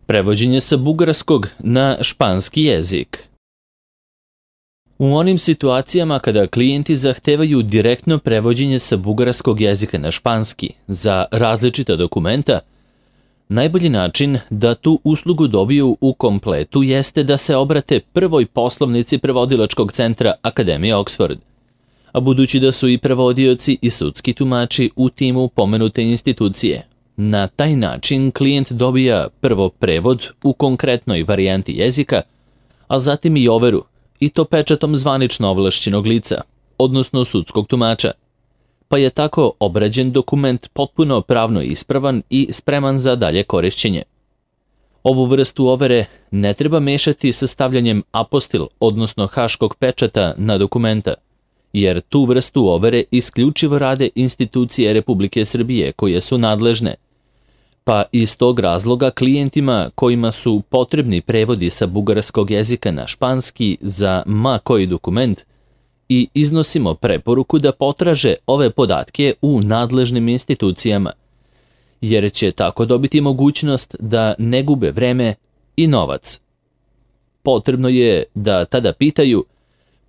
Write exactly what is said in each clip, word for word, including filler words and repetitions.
Prevođenje sa bugarskog na španski jezik. U onim situacijama kada klijenti zahtevaju direktno prevođenje sa bugarskog jezika na španski za različita dokumenta, najbolji način da tu uslugu dobiju u kompletu jeste da se obrate prvoj poslovnici prevodilačkog centra Akademije Oxford. A budući da su i prevodioci i sudski tumači u timu pomenute institucije, na taj način klijent dobija prvo prevod u konkretnoj varijanti jezika, a zatim i overu, i to pečatom zvanično ovlašćenog lica, odnosno sudskog tumača, pa je tako obrađen dokument potpuno pravno ispravan i spreman za dalje korišćenje. Ovu vrstu overe ne treba mešati sa stavljanjem apostil, odnosno haškog pečata na dokumenta, jer tu vrstu overe isključivo rade institucije Republike Srbije koje su nadležne, pa iz tog razloga klijentima kojima su potrebni prevodi sa bugarskog jezika na španski za ma koji dokument i iznosimo preporuku da potraže ove podatke u nadležnim institucijama, jer će tako dobiti mogućnost da ne gube vreme i novac. Potrebno je da tada pitaju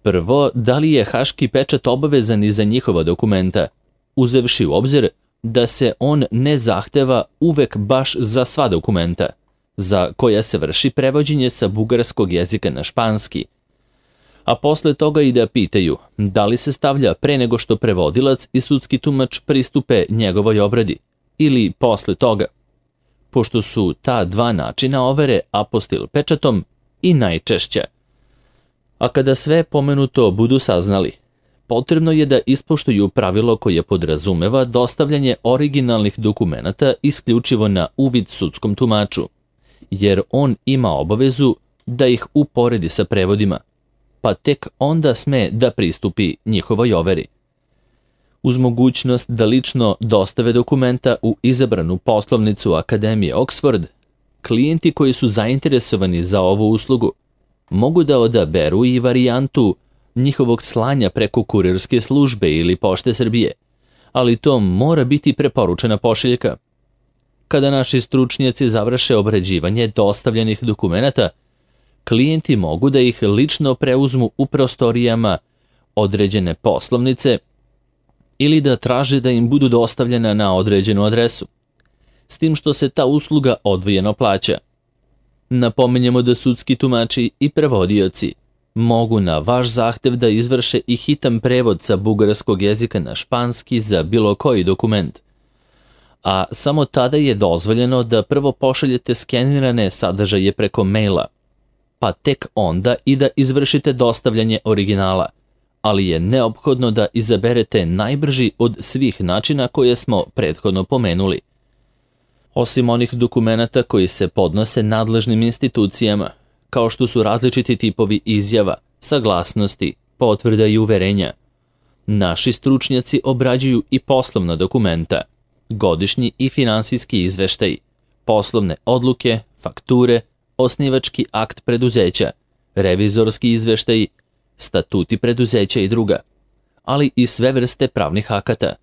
prvo da li je haški pečat obavezan i za njihova dokumenta, uzevši u obzir da se on ne zahteva uvek baš za sva dokumenta, za koja se vrši prevođenje sa bugarskog jezika na španski, a posle toga i da pitaju da li se stavlja pre nego što prevodilac i sudski tumač pristupe njegovoj obradi, ili posle toga, pošto su ta dva načina overe apostil pečatom i najčešća. A kada sve pomenuto budu saznali, potrebno je da ispoštuju pravilo koje podrazumeva dostavljanje originalnih dokumenata isključivo na uvid sudskom tumaču, jer on ima obavezu da ih uporedi sa prevodima, pa tek onda sme da pristupi njihovoj overi. Uz mogućnost da lično dostave dokumenta u izabranu poslovnicu Akademije Oxford, klijenti koji su zainteresovani za ovu uslugu mogu da odaberu i varijantu njihovog slanja preko kurirske službe ili Pošte Srbije, ali to mora biti preporučena pošiljka. Kada naši stručnjaci završe obrađivanje dostavljenih dokumenata, klijenti mogu da ih lično preuzmu u prostorijama određene poslovnice ili da traže da im budu dostavljena na određenu adresu, s tim što se ta usluga odvojeno plaća. Napominjemo da sudski tumači i prevodioci mogu na vaš zahtev da izvrše i hitan prevod sa bugarskog jezika na španski za bilo koji dokument, a samo tada je dozvoljeno da prvo pošaljete skenirane sadržaje preko maila, pa tek onda i da izvršite dostavljanje originala, ali je neophodno da izaberete najbrži od svih načina koje smo prethodno pomenuli. Osim onih dokumenata koji se podnose nadležnim institucijama, kao što su različiti tipovi izjava, saglasnosti, potvrda i uverenja, naši stručnjaci obrađuju i poslovna dokumenta, godišnji i finansijski izveštaji, poslovne odluke, fakture, osnivački akt preduzeća, revizorski izveštaji, statuti preduzeća i druga, ali i sve vrste pravnih akata,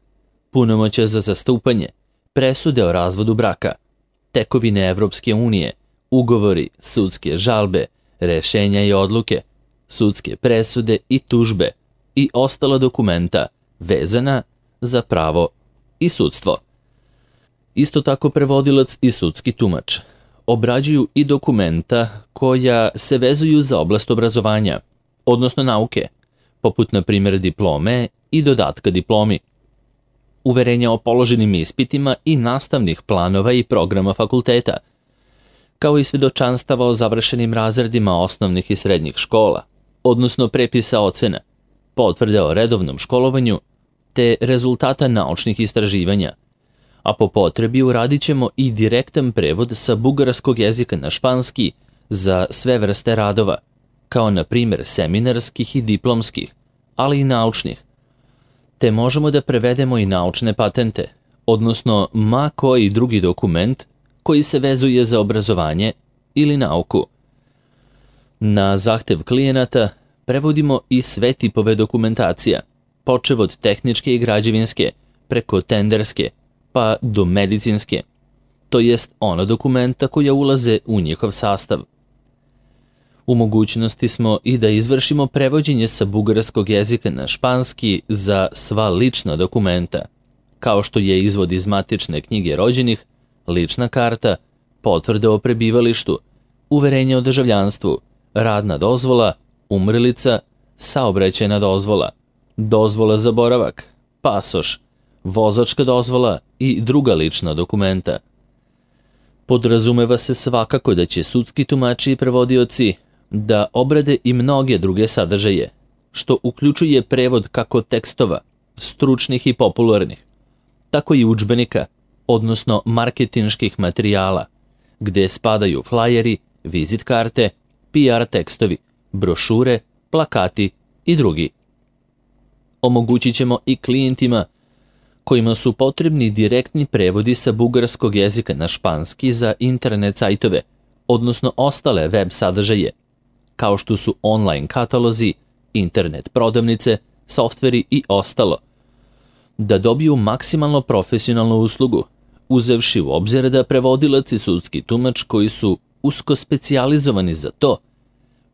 punomoćja za zastupanje, presude o razvodu braka, tekovine Evropske unije, ugovori, sudske žalbe, rešenja i odluke, sudske presude i tužbe i ostala dokumenta vezana za pravo i sudstvo. Isto tako prevodilac i sudski tumač obrađuju i dokumenta koja se vezuju za oblast obrazovanja, odnosno nauke, poput na primjer diplome i dodatka diplomi, uverenja o položenim ispitima i nastavnih planova i programa fakulteta, kao i svedočanstava o završenim razredima osnovnih i srednjih škola, odnosno prepisa ocena, potvrde o redovnom školovanju, te rezultata naučnih istraživanja, a po potrebi uradit ćemo i direktan prevod sa bugarskog jezika na španski za sve vrste radova, kao na primjer seminarskih i diplomskih, ali i naučnih. Te možemo da prevedemo i naučne patente, odnosno ma koji drugi dokument koji se vezuje za obrazovanje ili nauku. Na zahtev klijenata prevodimo i sve tipove dokumentacija, počev od tehničke i građevinske, preko tenderske, pa do medicinske. to jest ona dokumenta koja ulaze u njihov sastav. U mogućnosti smo i da izvršimo prevođenje sa bugarskog jezika na španski za sva lična dokumenta, kao što je izvod iz matične knjige rođenih, lična karta, potvrda o prebivalištu, uverenje o državljanstvu, radna dozvola, umrlica, saobraćajna dozvola, dozvola za boravak, pasoš, vozačka dozvola i druga lična dokumenta. Podrazumeva se svakako da će sudski tumači i prevodioci da obrade i mnoge druge sadržaje, što uključuje prevod kako tekstova, stručnih i popularnih, tako i udžbenika, odnosno marketinških materijala, gde spadaju flajeri, vizit karte, P R tekstovi, brošure, plakati i drugi. Omogućit ćemo i klijentima kojima su potrebni direktni prevodi sa bugarskog jezika na španski za internet sajtove, odnosno ostale web sadržaje, kao što su online katalozi, internet prodavnice, softveri i ostalo, da dobiju maksimalno profesionalnu uslugu, uzevši u obzir da prevodilac i sudski tumač koji su usko specijalizovani za to,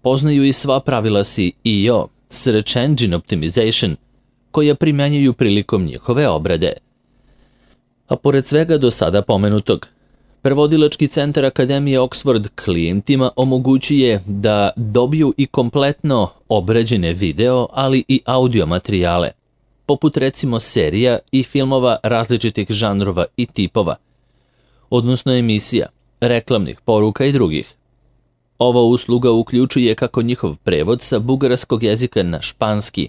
poznaju i sva pravila S E O, Search Engine Optimization, koja primjenjuju prilikom njihove obrade. A pored svega do sada pomenutog, Prevodilački centar Akademije Oxford klijentima omogućuje da dobiju i kompletno obrađene video, ali i audio materijale, poput recimo serija i filmova različitih žanrova i tipova, odnosno emisija, reklamnih poruka i drugih. Ova usluga uključuje kako njihov prevod sa bugarskog jezika na španski,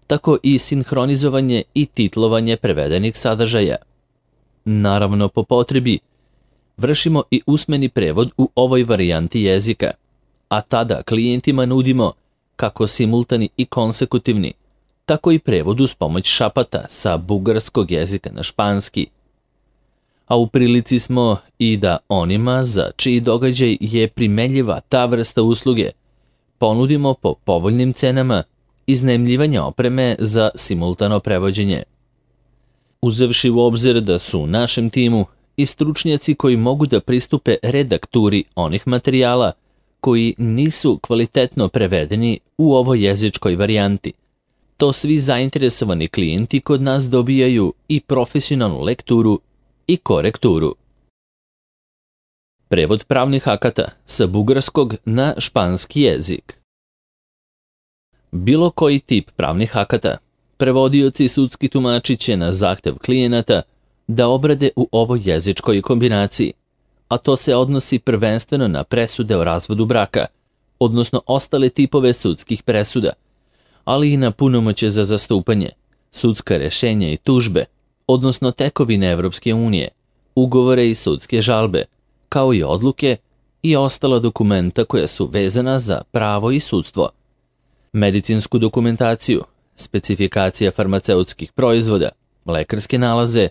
tako i sinhronizovanje i titlovanje prevedenih sadržaja. Naravno, po potrebi, vršimo i usmeni prevod u ovoj varijanti jezika, a tada klijentima nudimo kako simultani i konsekutivni, tako i prevod uz pomoć šapata sa bugarskog jezika na španski. A u prilici smo i da onima za čiji događaj je primenljiva ta vrsta usluge ponudimo po povoljnim cenama iznajmljivanje opreme za simultano prevođenje. Uzevši u obzir da su u našem timu i stručnjaci koji mogu da pristupe redakturi onih materijala koji nisu kvalitetno prevedeni u ovoj jezičkoj varijanti, to svi zainteresovani klijenti kod nas dobijaju i profesionalnu lekturu i korekturu. Prevod pravnih akata sa bugarskog na španski jezik. Bilo koji tip pravnih akata, prevodioci i sudski tumači će na zahtev klijenata da obrade u ovoj jezičkoj kombinaciji, a to se odnosi prvenstveno na presude o razvodu braka, odnosno ostale tipove sudskih presuda, ali i na punomoćje za zastupanje, sudska rešenja i tužbe, odnosno tekovine Evropske unije, ugovore i sudske žalbe, kao i odluke i ostala dokumenta koja su vezana za pravo i sudstvo, medicinsku dokumentaciju, specifikacija farmaceutskih proizvoda, lekarske nalaze,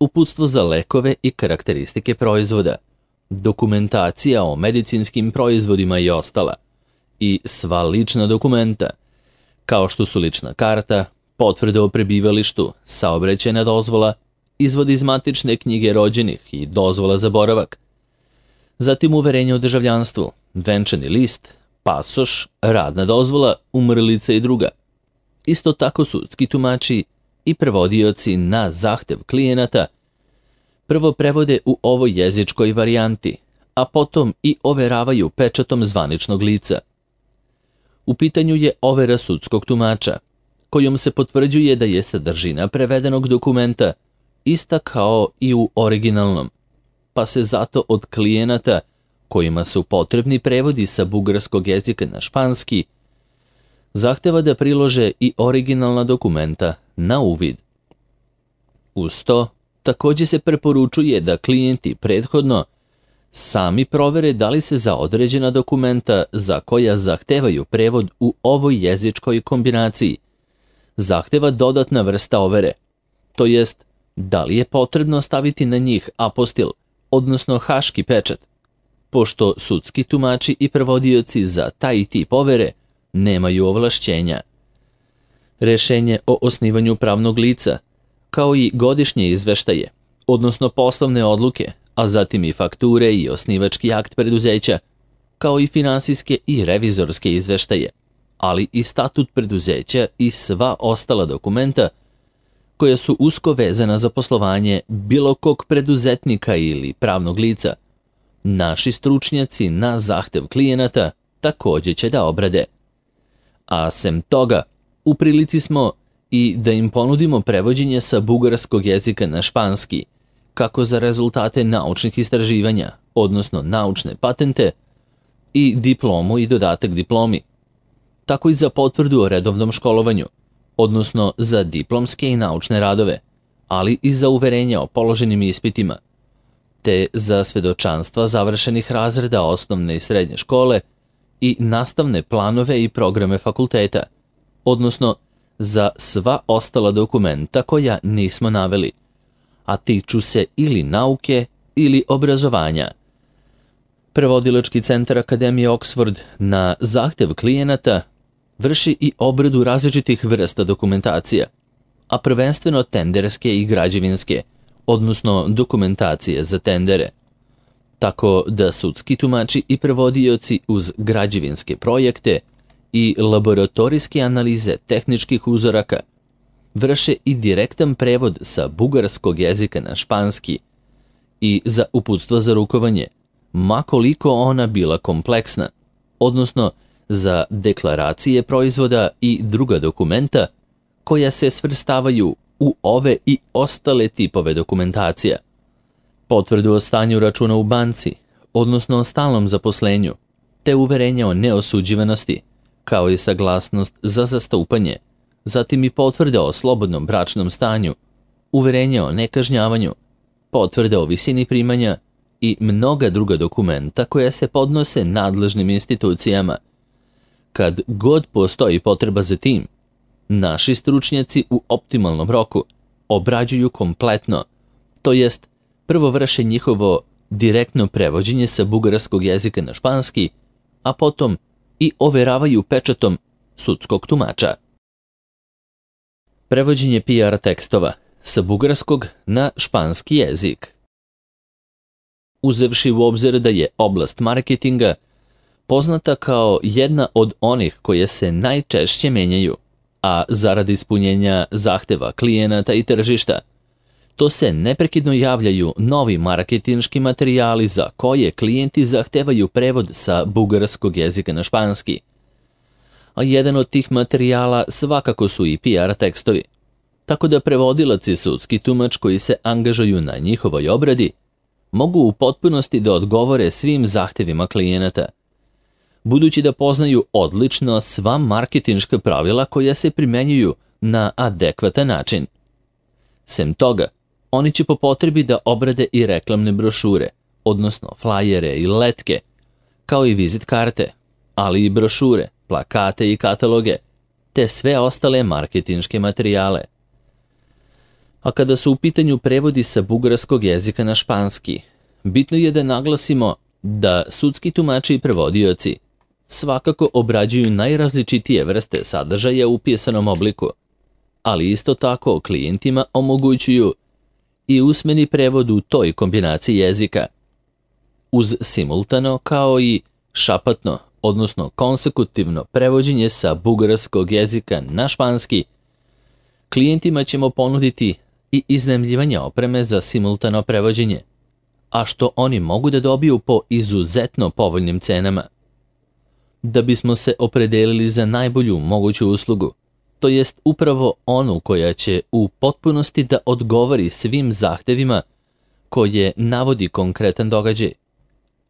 uputstvo za lekove i karakteristike proizvoda, dokumentacija o medicinskim proizvodima i ostala, i sva lična dokumenta, kao što su lična karta, potvrda o prebivalištu, saobraćajna dozvola, izvod iz matične knjige rođenih i dozvola za boravak, zatim uverenje o državljanstvu, venčani list, pasoš, radna dozvola, umrlica i druga. Isto tako sudski tumači i prevodioci na zahtev klijenata prvo prevode u ovoj jezičkoj varijanti, a potom i overavaju pečatom zvaničnog lica. U pitanju je overa sudskog tumača, kojom se potvrđuje da je sadržina prevedenog dokumenta ista kao i u originalnom, pa se zato od klijenata kojima su potrebni prevodi sa bugarskog jezika na španski zahteva da prilože i originalna dokumenta na uvid. Uz to, također se preporučuje da klijenti prethodno sami provere da li se za određena dokumenta za koja zahtevaju prevod u ovoj jezičkoj kombinaciji zahteva dodatna vrsta overe, to jest da li je potrebno staviti na njih apostil, odnosno haški pečat, pošto sudski tumači i prevodioci za taj tip overe nemaju ovlašćenja. Rešenje o osnivanju pravnog lica, kao i godišnje izveštaje, odnosno poslovne odluke, a zatim i fakture i osnivački akt preduzeća, kao i finansijske i revizorske izveštaje, ali i statut preduzeća i sva ostala dokumenta koja su usko vezana za poslovanje bilo kog preduzetnika ili pravnog lica. Naši stručnjaci na zahtev klijenata također će da obrade. A sem toga, u prilici smo i da im ponudimo prevođenje sa bugarskog jezika na španski, kako za rezultate naučnih istraživanja, odnosno naučne patente, i diplomu i dodatak diplomi, tako i za potvrdu o redovnom školovanju, odnosno za diplomske i naučne radove, ali i za uverenja o položenim ispitima, te za svedočanstva završenih razreda osnovne i srednje škole i nastavne planove i programe fakulteta, odnosno za sva ostala dokumenta koja nismo naveli, a tiču se ili nauke ili obrazovanja. Prevodilački centar Akademije Oxford na zahtev klijenata vrši i obradu različitih vrsta dokumentacija, a prvenstveno tenderske i građevinske, odnosno dokumentacije za tendere, tako da sudski tumači i prevodioci uz građevinske projekte i laboratorijske analize tehničkih uzoraka vrše i direktan prevod sa bugarskog jezika na španski i za uputstva za rukovanje, ma koliko ona bila kompleksna, odnosno za deklaracije proizvoda i druga dokumenta koja se svrstavaju u ove i ostale tipove dokumentacija. Potvrdu o stanju računa u banci, odnosno o stalnom zaposlenju, te uverenje o neosuđivanosti, kao i saglasnost za zastupanje, zatim i potvrde o slobodnom bračnom stanju, uverenje o nekažnjavanju, potvrde o visini primanja i mnoga druga dokumenta koja se podnose nadležnim institucijama. Kad god postoji potreba za tim, naši stručnjaci u optimalnom roku obrađuju kompletno, to jest prvo vrše njihovo direktno prevođenje sa bugarskog jezika na španski, a potom i overavaju pečatom sudskog tumača. Prevođenje P R tekstova sa bugarskog na španski jezik. Uzevši u obzir da je oblast marketinga poznata kao jedna od onih koje se najčešće menjaju, a zarad ispunjenja zahteva klijenata i tržišta, to se neprekidno javljaju novi marketinški materijali za koje klijenti zahtevaju prevod sa bugarskog jezika na španski. A jedan od tih materijala svakako su i P R tekstovi, tako da prevodilac i sudski tumač koji se angažuju na njihovoj obradi mogu u potpunosti da odgovore svim zahtevima klijenata, budući da poznaju odlično sva marketinška pravila koja se primenjuju na adekvatan način. Sem toga, oni će po potrebi da obrade i reklamne brošure, odnosno flajere i letke, kao i vizit karte, ali i brošure, plakate i kataloge, te sve ostale marketinške materijale. A kada su u pitanju prevodi sa bugarskog jezika na španski, bitno je da naglasimo da sudski tumači i prevodioci svakako obrađuju najrazličitije vrste sadržaja u pisanom obliku, ali isto tako klijentima omogućuju i usmeni prevod u toj kombinaciji jezika, uz simultano kao i šapatno, odnosno konsekutivno prevođenje sa bugarskog jezika na španski. Klijentima ćemo ponuditi i iznajmljivanje opreme za simultano prevođenje, a što oni mogu da dobiju po izuzetno povoljnim cenama. Da bismo se opredelili za najbolju moguću uslugu, to jest upravo onu koja će u potpunosti da odgovori svim zahtevima koje navodi konkretan događaj,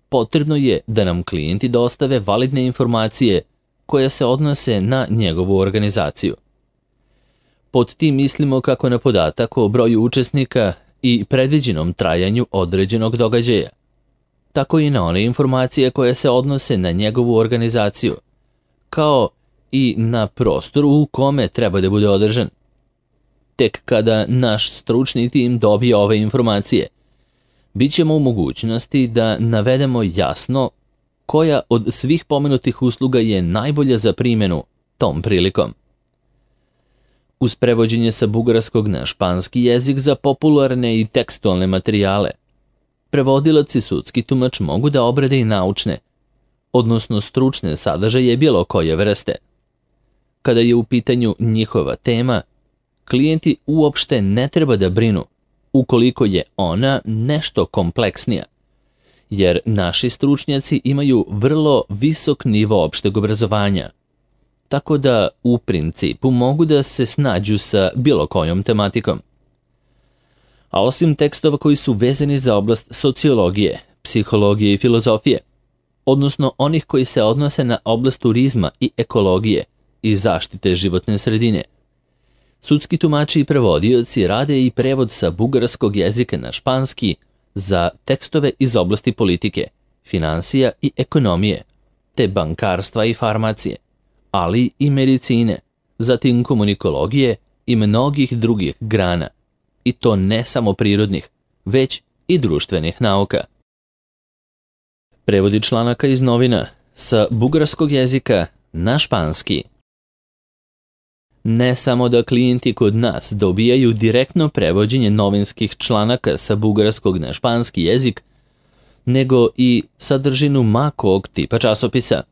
potrebno je da nam klijenti dostave validne informacije koje se odnose na njegovu organizaciju. Pod tim mislimo kako na podatak o broju učesnika i predviđenom trajanju određenog događaja, tako i na one informacije koje se odnose na njegovu organizaciju, kao i na prostoru u kome treba da bude održan. Tek kada naš stručni tim dobije ove informacije, bit ćemo u mogućnosti da navedemo jasno koja od svih pomenutih usluga je najbolja za primjenu tom prilikom. Uz prevođenje sa bugarskog na španski jezik za popularne i tekstualne materijale, prevodilac i sudski tumač mogu da obrade i naučne, odnosno stručne sadržaje bilo koje vrste. Kada je u pitanju njihova tema, klijenti uopšte ne treba da brinu ukoliko je ona nešto kompleksnija, jer naši stručnjaci imaju vrlo visok nivo opšteg obrazovanja, tako da u principu mogu da se snađu sa bilo kojom tematikom. A osim tekstova koji su vezani za oblast sociologije, psihologije i filozofije, odnosno onih koji se odnose na oblast turizma i ekologije i zaštite životne sredine, sudski tumači i prevodioci rade i prevod sa bugarskog jezika na španski za tekstove iz oblasti politike, finansija i ekonomije, te bankarstva i farmacije, ali i medicine, zatim komunikologije i mnogih drugih grana, i to ne samo prirodnih, već i društvenih nauka. Prevodi članaka iz novina sa bugarskog jezika na španski. Ne samo da klijenti kod nas dobijaju direktno prevođenje novinskih članaka sa bugarskog na španski jezik, nego i sadržinu ma kog tipa časopisa.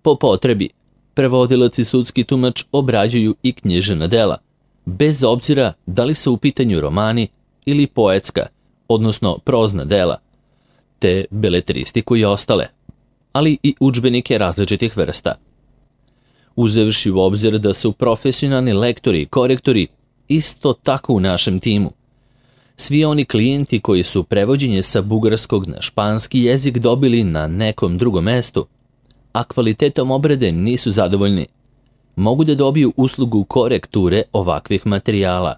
Po potrebi, prevodilac i sudski tumač obrađuju i književna dela, bez obzira da li su u pitanju romani ili poetska, odnosno prozna dela, te beletristiku i ostale, ali i udžbenike različitih vrsta. Uzevši u obzir da su profesionalni lektori i korektori isto tako u našem timu, svi oni klijenti koji su prevođenje sa bugarskog na španski jezik dobili na nekom drugom mestu, a kvalitetom obrade nisu zadovoljni, mogu da dobiju uslugu korekture ovakvih materijala.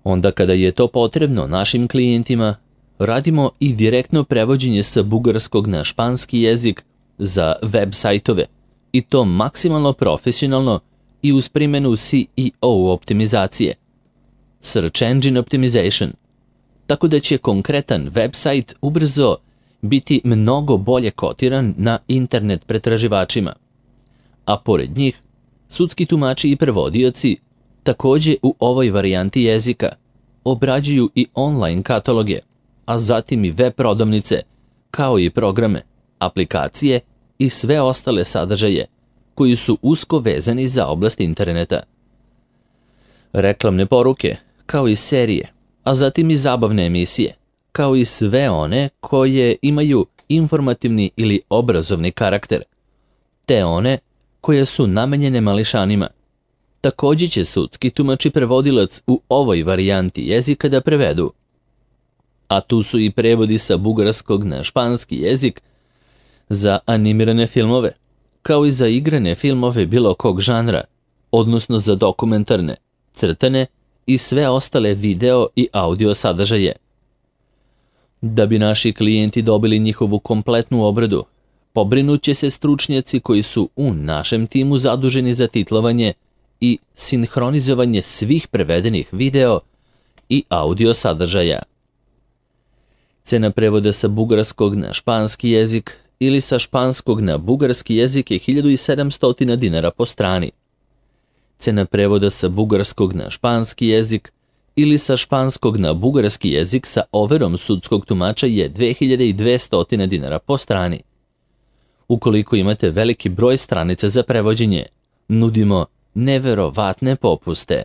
Onda kada je to potrebno našim klijentima, radimo i direktno prevođenje sa bugarskog na španski jezik za web sajtove, i to maksimalno profesionalno i uz primjenu C E O optimizacije, Search Engine Optimization, tako da će konkretan web sajt ubrzo biti mnogo bolje kotiran na internet pretraživačima. A pored njih, sudski tumači i prevodioci takođe u ovoj varijanti jezika obrađuju i online kataloge, a zatim i web prodavnice, kao i programe, aplikacije i sve ostale sadržaje koji su usko vezani za oblast interneta. Reklamne poruke, kao i serije, a zatim i zabavne emisije, kao i sve one koje imaju informativni ili obrazovni karakter, te one koje su namenjene mališanima. Takođe će sudski tumač i prevodilac u ovoj varijanti jezika da prevedu. A tu su i prevodi sa bugarskog na španski jezik za animirane filmove, kao i za igrane filmove bilo kog žanra, odnosno za dokumentarne, crtane i sve ostale video i audio sadržaje. Da bi naši klijenti dobili njihovu kompletnu obradu, pobrinut će se stručnjaci koji su u našem timu zaduženi za titlovanje i sinhronizovanje svih prevedenih video i audio sadržaja. Cena prevoda sa bugarskog na španski jezik ili sa španskog na bugarski jezik je hiljadu sedamsto dinara po strani. Cena prevoda sa bugarskog na španski jezik ili sa španskog na bugarski jezik sa overom sudskog tumača je dve hiljade dvesta dinara po strani. Ukoliko imate veliki broj stranica za prevođenje, nudimo neverovatne popuste.